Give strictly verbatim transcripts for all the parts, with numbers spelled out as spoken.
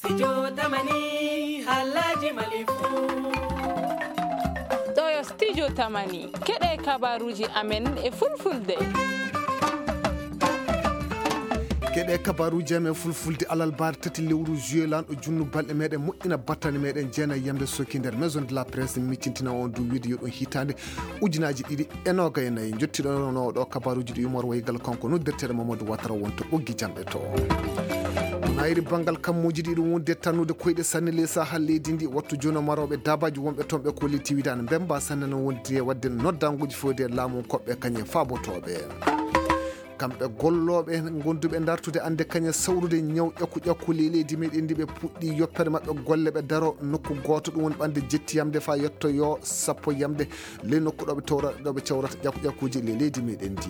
Studio Tamani, halaji Mali fu. Ɗo yo Studio Tamani, keɗe kabaruji amen e fulfulde. Keɗe kabaruji amen fulfulde alarba tati lewru juillet, lanɗo junnu balɗe meɗen moƴƴina battane meɗen jeena yamde soki nder Maison de la Presse, miccintina on du wiide yo ɗum hitande ujunaji ɗiɗi e noga e nayi. Jottiɗo no ɗo kabaruji ɗi yumor waygal kanko noddirteɗo Mamadou Watara wonto ɓoggi jamɗe to. Nayri bangal kammuji ɗiɗi wonde tannude koyɗe sanne ley saha leydi ndi, wattu jono maroɓe dabaji wonɓe toon ɓe kolliti wiide ana mbemba sanne no wondi e wadde noddanguji fewde laamu koɓɓe kañe fabotoɓe. Kamɓe gollooɓe gonduɓe dartude annde kañe sawrude ñaw ƴakku ƴakku ley leydi meɗen ndi, ɓe puɗɗi yoppere maɓɓe golle, ɓe daro nokku gooto, ɗum woni ɓannde jettiyamde fa yettoyo sappo yamde ley nokku ɗo ɓe tawra-, ɗo ɓe cawrata ƴakku ƴakkuuji ley leydi meɗen ndi.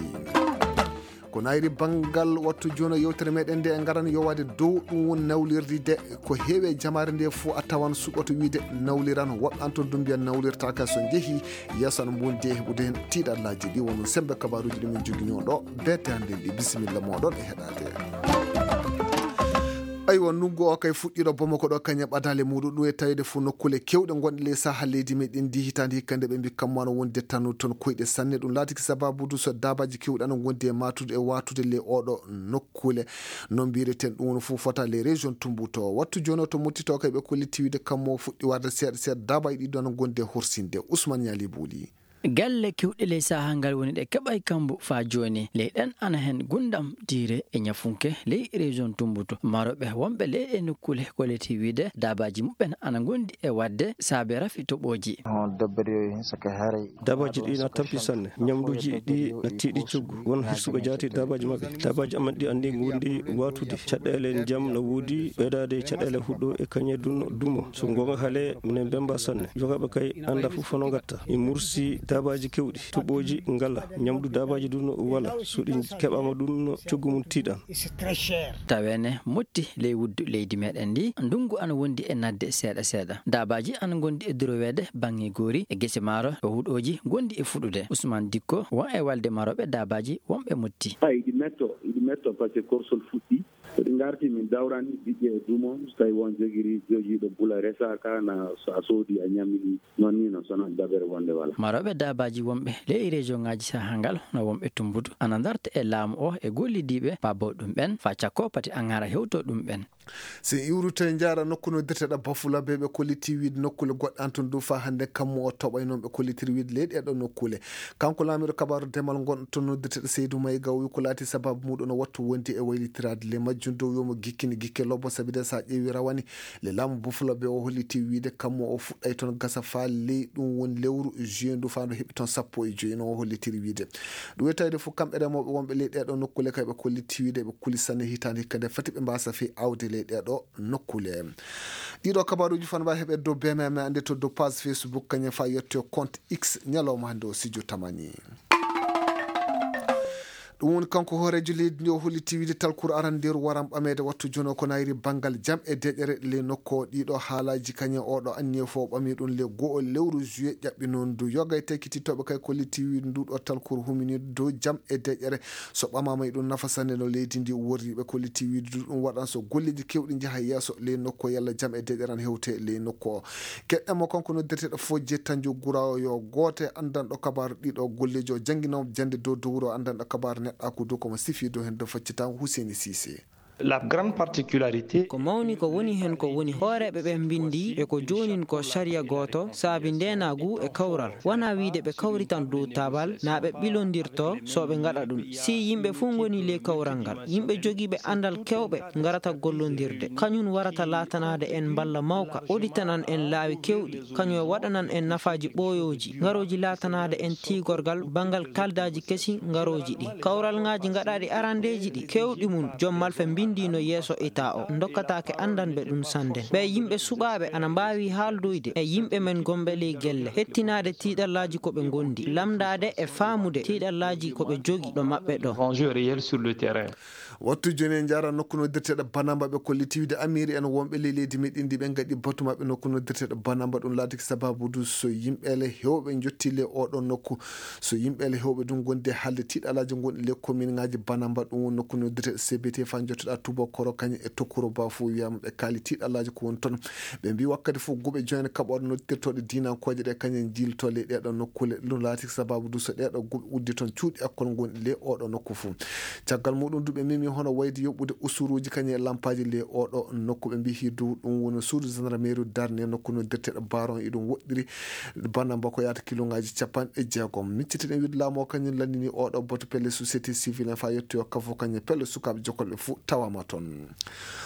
Ko nayri banngal wattu jono yewtere meɗen nde, en ngaran yowaade dow ɗum woni nawlirde de, ko heewi e jamaare nde fof a tawan suɓoto wiide nawliran, woɓɓe an toon du mbiya nawlirtaaka, so njehi yeeso ana mbundi e heɓude heen tiiɗallaaji ɗi. Wonno sembe kabaruuji ɗi min joginoo ɗo beete hannde ndi. Bisimilla mooɗon e heɗaade. Aywa, ndunngu o kay fuɗɗiiɗo Bamako ɗo, kañum e ɓadaale muɗum, ɗum e taweede fof nokkuule keewɗe ngonɗe ley saha leydi meɗen ndi. Hitaande hikka nde ɓe mbi kammu ana wondi e tannude toon koyɗe sanne. Ɗum laatiki sababude so daabaaji keewɗi ana ngondi e maatude e waatude ley oɗo nokkuule. No mbiyeten ɗum woni fof fota les régions Tumbuto. Wattu jooni o to Mottito kay ɓe kolliti wiide kammu o fuɗɗi warde seeɗa seeɗa daabaaji ɗiɗi ana ngondi e horsinde. Ousmane Ñaali Buuli. Galle kewɗe ley saha ngal woni ɗe keɓay kambu faa jooni. Ley ɗen ana hen Gundam, Diire e Ñafunke ley région Tumbuto. Maroɓe wonɓe ley ɗe nokkule kolliti wiide daabaaji muɓɓen ana ngondi e wadde saabe rafi toɓooji. Daabaaji ɗi na tampi sanne. Ñamduuji ɗi na tiiɗi coggu. Won hirsuɓe jaati daabaaji maɓɓe. Daabaaji amen ɗi anndi ngondi waatude. Caɗeele ndiyam na woodi, ɓeydaade caɗeele huɗo e kañe dun dumo. So ngoonga haale, minen mbemba sanne. Jogaaɓe kay annda fof hono ngatta. Mi mursi daabaaji kewɗi, toɓooji ngala, ñamdu daabaaji dun wala. So ɗi keɓaama dun, coggu mum tiiɗan. Taweene motti ley wuddu leydi meɗen ndi, ndungu ana wondi e nadde seeɗa seeɗa. Daabaaji ana ngondi e duroweede baŋŋe goori e gese maaro, e huɗooji ngondi e fuɗude. Usmaan Dikko, won e walde marooɓe daabaaji wonɓe motti. Hay, iɗi metto, iɗi metto, par ce que korsol fuɗɗi. So ɗi ngarti, min dawrani ɓiɓɓe e dumo, so tawi won jogiri, jogiiɗo bula resaaka, na so a soodi, a ñamini, noon ni no, so non dabere wonde wala. Marooɓe daabaaji wonɓe ley région ŋaaji saha ngal, no wonɓe Tumbutu, ana darta e laamu o e gollidiiɓe paaboo ɗum ɓen, faa cakko pati aŋara hewtoo ɗum ɓen. So en iwritoy njaara nokku noddirteɗo Bafulabe, ɓe kolliti wiide nokkule goɗɗe an toon du faa hannde kammu o toɓay noon ɓe kollitiri wiide ley ɗee ɗoo nokkule. Kanko laamiiɗo kabaaru demal ngon toon noddirteɗo Seydou Mayga o wi ko laati sababu muɗum no wattu wondi e waylitiraade ley majjum dow yo mo gikkini gikke lobbo, sabi de so a ƴeewi rawane le laamu Bafulabe o holliti wiide kammu o fuɗɗay toon gasa faa ley ɗum woni lewru juin du faa ndu heɓi toon sappo e joy no o hollitiri wiide. Ɗum e tawde fof kamɓe remooɓe wonɓe ley ɗee ɗoo nokkule kay ɓe kolliti wiide ɓe kuli sanne hitaande hikka nde fati ɓe mbaasa fii aawde ley ɗee ɗoo nokkule. Ɗiɗo kabaruuji fana mbawi heɓe dow B M M, ande to dow page Facebook, kañum fa yetto compte X ñalawma hannde o sijo tamani. Ɗum woni kanko hooreejo leydi ndi o holliti wiide talkuru arandeeru waran ɓameede wattu jono ko nayri banngal jam e deƴƴere ley nokku o. Ɗiɗo haalaaji kañum oɗo anniye fof ɓami ɗum le go'o lewru juillet ƴaɓɓi noon du yoga e tekkititooɓe kay kolliti wiide ndu ɗo talkuru humini dow jam e deƴƴere. So ɓamaama e ɗum nafa sanne no leydi ndi worri, ɓe kolliti wiide du ɗum waɗan so golleeji kewɗi njaha yeeso ley nokku o, yalla jam e deƴƴere an hewte ley nokku o. Keɗɗen mo kanko noddirteɗo Fojje Tanjo Gurawo yo gooto e anndanɗo kabaaru ɗiɗo golleejo jannginoowo jannde dow dowro anndanɗo kabaaru neɗɗaaku dow ko mo sifi dow heen dow faccitango Huseyni Sise. La grande particularité. Ko mawni ko woni heen ko woni hooreeɓe ɓe mbinndi e ko joonin ko sariya gooto saabi ndeenaagu e kawral. Wonaa wiyde ɓe kawritan dow taabal naa ɓe ɓilondirto so ɓe ngaɗa ɗum. Si yimɓe fof ngoni ley kawral ngal, yimɓe jogiiɓe anndal keewɓe ngarata gollondirde. Kañum warata laatanaade en mballa mawka, udditanan en laawi keewɗi, kañum e waɗanan en nafaaji ɓooyooji, ngarooji laatanaade en tiigorgal banngal kaldaaji kesi ngarooji ɗi. Kawral ŋaaji ngaɗaaɗi arandeeji ɗi, keewɗi mum, joom malfa mbinndi no yeeso ita o, ndokkataake anndanɓe ɗum sannden. Ɓee yimɓe suɓaaɓe ana mbaawi haaldoyde e yimɓe men gonɓe ley gelle, hettinaade tiiɗallaaji ko ɓe ngondi, lamndaade e faamude tiiɗallaaji ko ɓe jogi ɗo maɓɓe ɗo. Enjeu réel sur le terrain. Wattu jooni en njaara nokku noddirteeɗo Banamba, ɓe kolliti wiide amiiri en wonɓe ley leydi meɗen ndi ɓe ngaɗi batu maɓɓe nokku noddirteeɗo Banamba. Ɗum laatiki sababu du so yimɓeele heewɓe njotti le oɗo nokku. So yimɓeele heewɓe du ngondi haalde tiiɗalaaji gonɗi le kominŋaaji Banamba, ɗum woni nokku noddirteeɗo C B T fa njottoɗaa Tubakoro kañum e Tokuro Ba fof wiyama ɓe kaali tiiɗalaaji ko woni toon. Ɓe mbi wakkati fof guɓe jooni kaɓorɗe noddirtooɗe diinankooje ɗe kañum jiilto ley ɗeeɗo nokkuule. Ɗum laatiki sababu du so ɗeeɗo guɓe uddi toon cuuɗi ekkol gonɗi le oɗo nokku fof. Caggal muɗum du ɓe memi hono wayde yoɓude usuruuji kañum e lampaaji le oɗo nokku. Ɓe mbi du ɗum woni suudu gendarmerie darne nokku noddirteeɗo Baron iɗum woɗɗiri Banamba ko yaata kiloŋaaji capanɗe jeegom. Miccitiɗen wiide laamu o kañum lanndini oɗo batu pelle société civile en fa yettoyo kafo kañum pelle sukaaɓe jokolɓe fof tawama toon.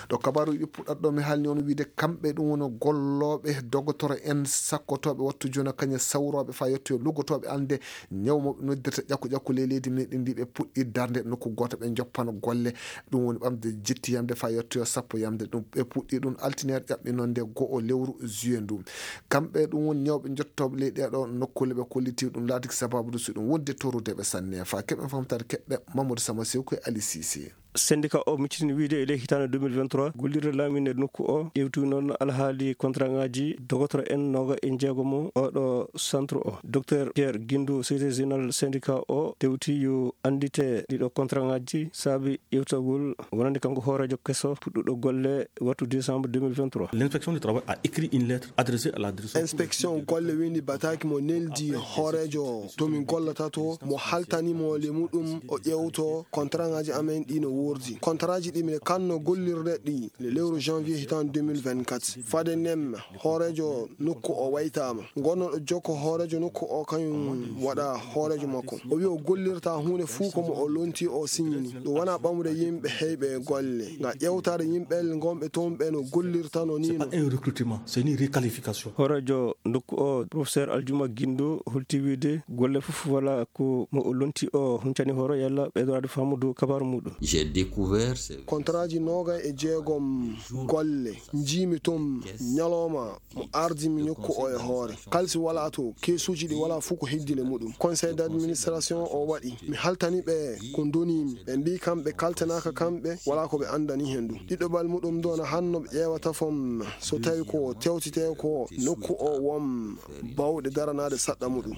Ɗo kabaaruuji ɗi puɗɗata ɗo mi haalni on wiide kamɓe ɗum woni gollooɓe dogotoro en sakkotooɓe wattu jooni kañum sawrooɓe fa yettoyo luggotooɓe annde ñaw mo ɓe noddirta ƴakku ƴakku ley leydi meɗen ndi ɓe puɗɗi darnde nokku gooto ɓe njoppana golle. Ɗum woni ɓamde jetti yamde fa yettoyo sappo yamde ɗum ɓe puɗɗi ɗum altine ƴaɓɓi noon nde go'o lewru juillet ndu. Kamɓe ɗum woni ñawɓe njottooɓe ley ɗeeɗo nokkuule ɓe kolliti ɗum laatiki sababu du so ɗum wonde torude ɓe sanne fa keɓen famtaade keɓɓe Mamadou Sama Sew koye Ali Sisi. Syndicat o miccitini wiide e ley hitaande deux mille vingt-trois, gollirde laaminde nokku o ƴeewti noon alhaali contrat ŋaaji dogotoro en nooga e jeegom oɗo centre o. Docteur Pierre Guindou, secrétaire général syndicat o, tewti yo anndite ɗiɗo contrat ŋaaji saabi ƴeewtagol wonande kanko hooreejo keso puɗɗuɗo golle wattu décembre deux mille vingt-trois. L'inspection du travail a écrit une lettre adressée à la direction. Inspection golle windi bataaki mo neldi hooreejo to min gollata to, mo haltani mo le muɗum o ƴeewto contrat ŋaaji amen ɗi no wordi. Contrat ji ɗi min kanno gollirde ɗi le lewru janvier hitan deux mille vingt-quatre. Fade nem hooreejo nokku o waytaama. Gonnoɗo jokko hooreejo nokku o kañum waɗa hooreejo makko. O wi o gollirta huunde fuu ko mo o lonti o signini. Ɗum wona ɓamude yimɓe heyɓe e golle. Nga ƴeewtaade yimɓe gonɓe toon ɓe no gollirta no ni. C'est pas un recrutement, c'est une requalification. Hooreejo nokku o, professeur Aljuma Gindo, holti wiide golle fof wala ko mo o lonti o huncani hooro yalla ɓeydoraade faamudu kabaaru muɗum. J'ai découvert ces contrat ji nooga e jeegom golle. Njiimi toon ñalawma mo ardimi nokku o e hoore. Kalsi wala to, keesuuji ɗi wala fof ko heddi le muɗum. Conseil d'administration o waɗi. Mi haltani ɓe ko donimi. Ɓe mbi kam ɓe kaltanaaka kamɓe, wala ko ɓe anndani heen ɗum. Ɗiɗo bal muɗum ɗo na hanno ɓe ƴeewata fom so tawi ko tewtete ko nokku o wom bawɗe daranaade saɗɗa muɗum.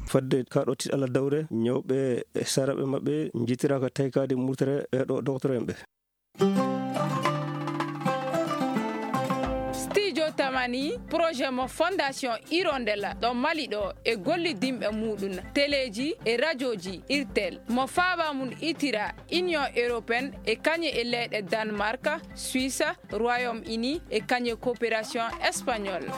Fadde ka ɗo tiɗala dawre, ñawɓe e saraɓe maɓɓe njitiraaka taykaade murtere ɓeeɗo doktor en ɓe. Studio Tamani, projet mo Fondation Hirondelle ɗo Mali ɗo e gollidinɓe muɗum, teleeji e rajooji Irtel, mo faaba mum itira Union Européenne e kañe e leyɗe Danemark, Suisse, Royaume-Uni e kañe coopération espagnole.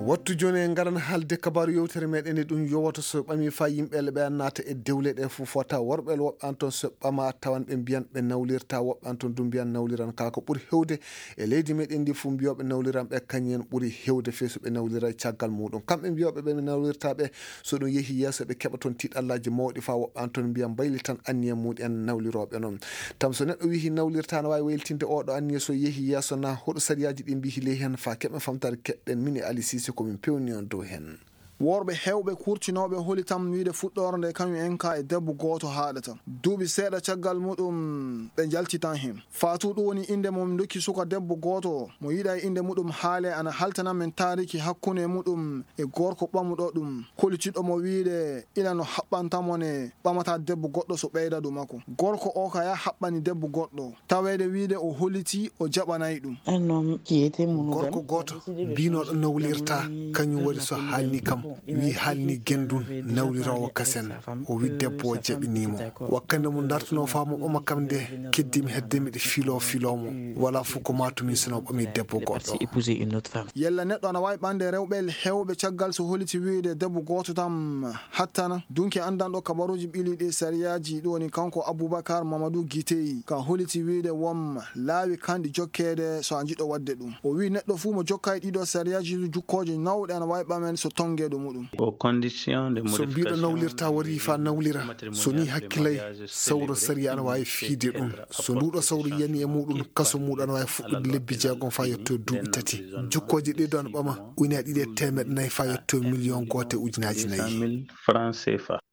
Wattu jooni en ngaran haalde kabaaru yewtere meɗen e ɗum yowata so ɓami fa yimɓe le ɓe an naata e dewle ɗe fof fota worɓe le woɓɓe an toon so ɓama tawan ɓe mbiyan ɓe nawlirta, woɓɓe an toon du mbiyan nawliran ka ko ɓuri hewde e leydi meɗen ndi fof mbiyoɓe nawliran ɓe kañum en ɓuri hewde feesu ɓe nawlira e caggal muɗum. Kamɓe mbiyoɓe ɓe nawlirta ɓe so ɗum yehi yeeso ɓe keɓa toon tiɗallaji mawɗi fa woɓɓe an toon mbiyan mbayli tan anniya muɗum en nawliroɓe noon. Tam so neɗɗo wihi nawlirta no wawi waylitinde oɗo anniya so yehi yeeso na hoɗo sariyaaji ɗi mbihi ley heen fa keɓen famtaade keɗɗen min e Ali Sise ko min pewni on dow heen. Worɓe hewɓe kurtinooɓe holi tam wiide fuɗɗoore nde kañum en ka e debbo gooto haaɗata. Duuɓi seeɗa caggal muɗum ɓe njalti tan heen. Faatu ɗum woni innde mo min ndokki suka debbo gooto mo yiɗa e innde muɗum haale ana haltana men taariki hakkunde muɗum e gorko ɓamuɗo ɗum. Kolitiɗo mo wiide ila no haɓɓanta mo ne ɓamata debbo goɗɗo so ɓeyda ɗum makko. Gorko o ka ya haɓɓani debbo goɗɗo. Taweede wiide o holiti o jaɓanay ɗum. Gorko gooto mbinooɗo nawlirta, kañum waɗi so haalni kam, wi haalni gendun nawliroowo kasen, o wi debbo o jaɓinii mo. Wakkande mo dartunoo faa mo ɓama kam nde, keddimi hedde miɗo filoo filoo mo. Walaa fof ko maatumi sino ɓami debbo goɗɗo. Yella neɗɗo ana waawi ɓande rewɓe heewɓe caggal so holiti wiide debbo gooto tan hattana. Dunki anndanɗo kabaruuji ɓili ɗi sariyaaji ɗum woni kanko Abubakar Mamadou Guitey ka holiti wiide won laawi kanɗi jokkeede so a jiɗɗo waɗde ɗum. O wi neɗɗo fuu mo jokka e ɗiɗo sariyaaji jukkooje nawɗe ana waawi ɓamen so tonnge ɗum. muɗum. Au condition de so mbiɗo nawlirta wari fa nawlira, so ni hakkilay sawro sariya ana waawi fiide ɗum. So nduɗo sawro yani e muɗum, kaso muɗum ana waawi fuɗɗude lebbi jeegom fa yetto duuɓi tati. Jukkoje ɗe do ana ɓama ujunaaji ɗiɗi e teemeɗɗe nayi fa yetto miliyon gooto e ujunaaji nayi.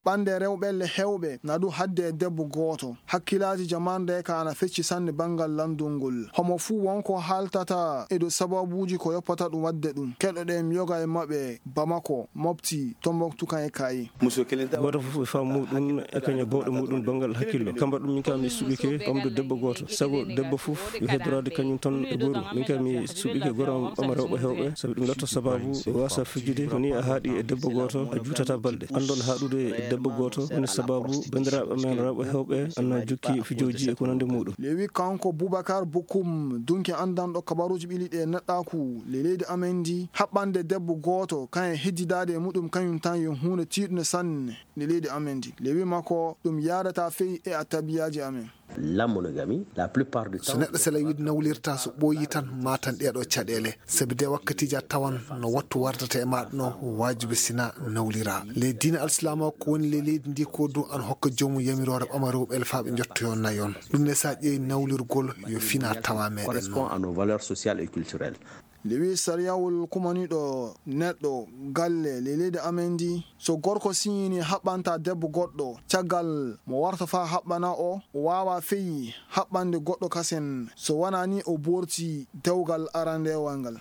Ɓande rewɓe le hewɓe na du hadde e debbo gooto. Hakkilaaji jamarde ka ana fecci sanne banngal lanndungol. Homo fuu won ko haaltata e dow sababuuji ko yoppata ɗum waɗde ɗum. Keɗoɗen yoga e maɓɓe Bamako, Mopti, Tombouctou kan e kaye. Gooto fof e faamu muɗum e kañum e bawɗe muɗum banngal hakkillo. Kamba ɗum min kam mi suɓike ɓamde debbo gooto. Sago debbo fof yo heddoraade kañum tan e gooru. Min kam mi suɓike gooto ɓama rewɓe hewɓe, sabi ɗum latta sababu wasa fijude. Ko ni a haaɗi e debbo gooto, a juutata balɗe. Anndon haaɗude e debbo gooto woni sababu banndiraaɓe men rewɓe hewɓe ana jokki fijooji e ko nandi muɗum. Lewi kanko Boubacar Bokoum, dunki anndanɗo kabaruuji ɓili ɗe neɗɗaaku le leydi amen ndi, haɓɓande debbo gooto kan e heddidaade e muɗum kañum tan yo huunde tiiɗunde sanne le leydi amen ndi. Lewi makko ɗum yaadata fey e a tabiyaaji amen. La monogamie, la plupart du temps. So neɗɗo sela wiide nawlirta, so ɓooyi tan, ma tan ɗeɗo caɗeele. Sabi de wakkatiiji a tawan no wattu wardata e maɗa no waajibi sina nawlira. Le diine alsilaama ko woni le leydi ndi ko ɗum an hokka joomum yamiroore ɓama rewɓe el faaɓe njottoyon nayon. Ɗum ne sa ƴeewi nawlirgol yo fina tawa meɗen noon. Correspond à nos valeurs sociales et culturelles. Lewi sariyawol kumaniɗo neɗɗo galle le leydi amen ndi, so gorko siñini haɓɓanta debbo goɗɗo, caggal mo warta fa haɓɓana o, o waawa feyi haɓɓande goɗɗo kasen, so wonaa ni o boorti dewgal arandewal ngal.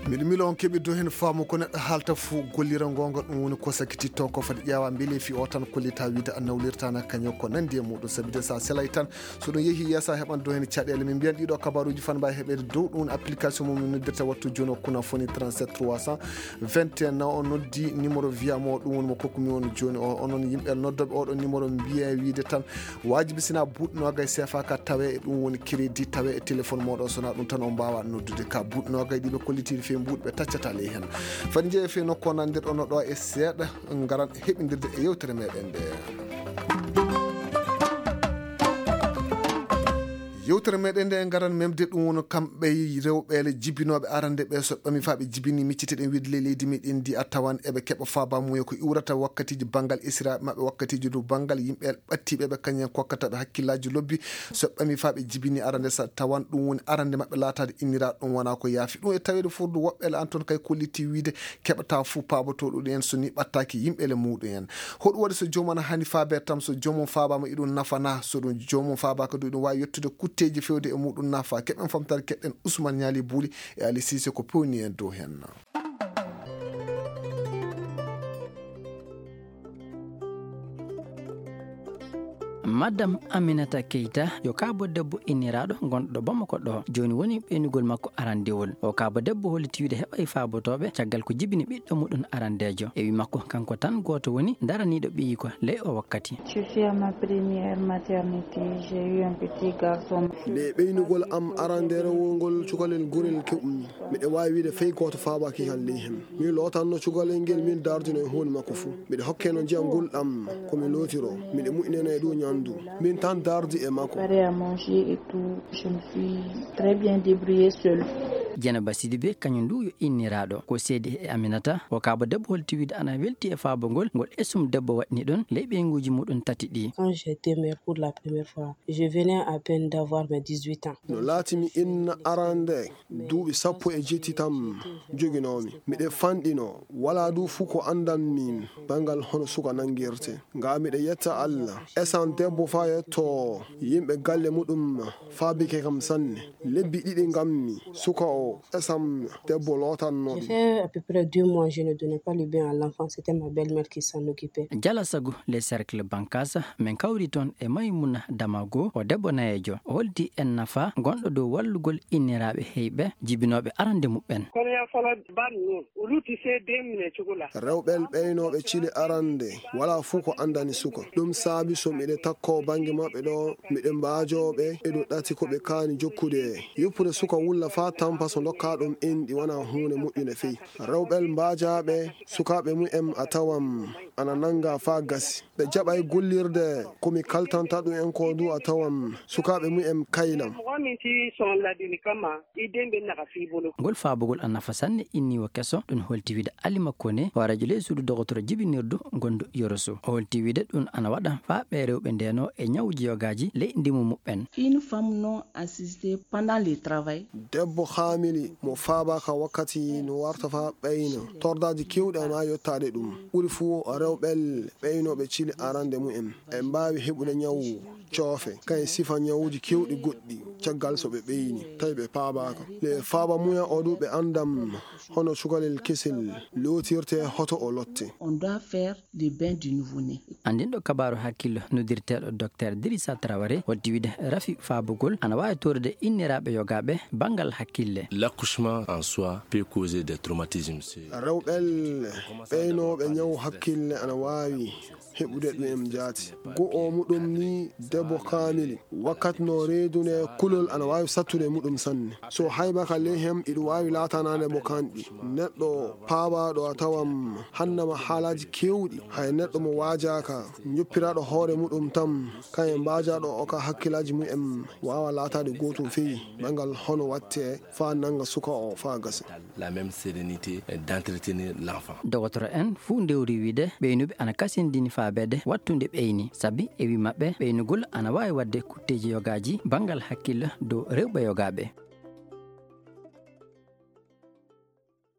Miɗo milo on keɓi do heen faamu ko neɗɗo haalta fuu gollira ngoonga, ɗum woni ko sakititto ko fadi ƴeewa mbele fi o tan kollita wiide a nawlirtana kañum ko nandi e muɗum. Sabi de sa selay tan, so ɗum yehi yeeso a heɓan do heen caɗeele. Min mbiyan ɗiɗo kabaruuji fan mbawi heɓede dow ɗum application mo min noddirta wattu jooni o kuna foni trente-sept trois cent vingt et un. Na o noddi numéro wiya mo ɗum woni mo kokku mi on jooni o. Onon yimɓe noddoɓe oɗo numéro mbiya wiide tan waajibi sina buuɗi noogay seefa ka tawe e ɗum woni crédit tawe e téléphone moɗo, sona ɗum tan o mbawa noddude ka buuɗi noogay ɗiɓe kollitiɗi fe mbuuɗi ɓe taccata ley hen. Fadi jeeya fe nokku o nandirɗo no ɗo e seeɗa ngaran heɓindirde e yewtere meɗen nde. Yewtere meɗen nde ngaran memde ɗum woni kamɓe rewɓe le jibinooɓe arande ɓe so ɓami fa ɓe jibini micciteɗen wiide le leydi meɗen ndi a tawan eɓe keɓa faaba muye ko iwrata wakkatiji banngal esiraɓe maɓɓe wakkatiji du banngal yimɓe ɓattiɓe ɓe kañen kokkata ɓe hakkillaji lobbi. So ɓami fa ɓe jibini arande sa tawan ɗum woni arande maɓɓe laatade inniraɗo ɗum wona ko yaafi ɗum e taweede fof du woɓɓe le an toon kay kolliti wiide keɓata fuu paabotoɗo ɗum en so ni ɓattaki yimɓe le muɗum en. Hoɗum waɗi so joomum ana hani faabe tam so joomum faabama iɗum nafana so ɗum joomum faabaka du iɗum wawi yettude kutteji fewde e muɗum nafa keɓen famtare keɗɗen Ousmane Ñaali Buuli e Ali Sise ko pewni en dow hen. Madame Aminata Keita yo kaabo debbo inniraaɗo gonɗo Bamako ɗo. Jooni woni ɓeynugol makko arandewol. O kaabo debbo holliti wiide heɓay faabotooɓe caggal ko jibini ɓiɗɗo muɗum arandeejo. E wi makko kanko tan gooto woni daraniiɗo ɓiyi ko ley o wakkati. Je suis à ma première maternité, j'ai eu un petit garçon. Nde ɓeynugol am arandeerewol ngol cukalel gorel keɓumi. Miɗo waawi wiide fey gooto faabaaki kan ley hen. Mi lootanno cukalel ngel, min dardino e huunde makko fuu. Miɗo hokkeno ndiyam ngulɗam, ko mi lootiro. Miɗo mu'ineno e ɗum ñamdu. Min tan dardi e makko. Préparé à manger et tout, je me suis très bien débrouillée seule. Dieynaba Sidibé, kañum ndu yo inniraaɗo. Ko seedi e Aminata, o kaaba debbo holti wiide ana welti e faabagol ngol esum debbo waɗni ɗon ley ɓeynguuji muɗum tati ɗi. Quand j'étais mère pour la première fois, je venais à peine d'avoir mes dix-huit ans. No laati mi inna arande, duuɓi sappo e jetti tan joginoomi. Miɗo fanɗino, walaa du fuu ko anndanmi banngal hono suka nanngirte. Nga miɗo yetta Allah, esan debbo faa yetto yimɓe galle muɗum faabike kam sanne. Lebbi ɗiɗi ngammi, suka o esan debbo lootanno. J'ai fait à peu près deux mois, je ne donnais pas le bain à l'enfant, c'était ma belle-mère qui s'en occupait. Jala sagu le cercle Bankasa, min kawri toon e Maymuna Damago, o debbo nayeejo. O holdi en nafa gonɗo dow wallugol inniraaɓe heyɓe jibinooɓe arande muɓɓen. Kono yaa falo ban noon, o lutti seedeemi ne cukalaa. Rewɓe ɓeynooɓe cili arande, walaa fuu ko anndani suka. Ɗum saabi so miɗo Ko bannge maɓɓe ɗo, miɗen mbaajooɓe e ɗo ɗati ko ɓe kaani jokkude. Yoppude suka wulla faa tampa so ndokkaa ɗum enɗi wonaa huunde moƴƴunde fey. Rewɓe mbaajaaɓe, sukaaɓe mumen a tawam ana nannga faa gasi. Ɓe jaɓay gollirde ko mi kaltanta ɗum en ko du a tawam sukaaɓe mumen kaylam. Ngol faabugol a nafa sanne inni wo keso ɗum holti wiide Alima Kone hooreejo ley suudu dogotoro jibinirdu ngondu Yoroso. O holti wiide ɗum ana waɗa faa ɓee rewɓe ndeenoo e ñawuuji yogaaji ley ndimu muɓɓen. Une femme non assistée pendant le travail. Debbo haamili mo faabaaka wakkati no warta faa ɓeyna. Tordaaji keewɗi ana yottaade ɗum. Ɓuri fuu rewɓe ɓeynooɓe cili arande mumen. E mbaawi heɓude ñawu coofe, kay sifa ñawuuji keewɗi goɗɗi caggal so ɓe ɓeyni, tawi ɓe paabaaka. Le faaba muya o du ɓe anndam hono cukalel kesel lootirte hoto o lotte. On doit faire des bains du nouveau-né. Anndinɗo kabaaru hakkillo noddirteeɗo Docteur Dirissa Traoré holti wiide rafi faabugol ana waawi toorude inniraaɓe yogaaɓe banngal hakkille. L'accouchement en soi peut causer des traumatismes. Rewɓe ɓeynooɓe ñawu hakkille ana waawi heɓude ɗum en jaati. Go'o muɗum ni debbo kaamili. Wakkati no reedunde kulol ana waawi sattude muɗum sanne. So haybaka ley hem iɗum waawi laatanaade mo kanɗi. Neɗɗo paabaaɗo a tawam hannama haalaaji keewɗi. Hay neɗɗo mo waajaaka, njoppiraaɗo hoore muɗum tan, kañum mbaajaaɗo o ka hakkillaaji mumen waawa laataade gootum fey banngal hono watte faa nannga suka o faa gasa. La même sérénité d'entretenir l'enfant. Dogotoro en fuu ndewri wiide ɓeynuɓe ana kasindini faabeede wattunde ɓeyni, sabi e wi maɓɓe ɓeynugol ana waawi waɗde kutteeji yogaaji banngal hakkille dow rewɓe yogaaɓe.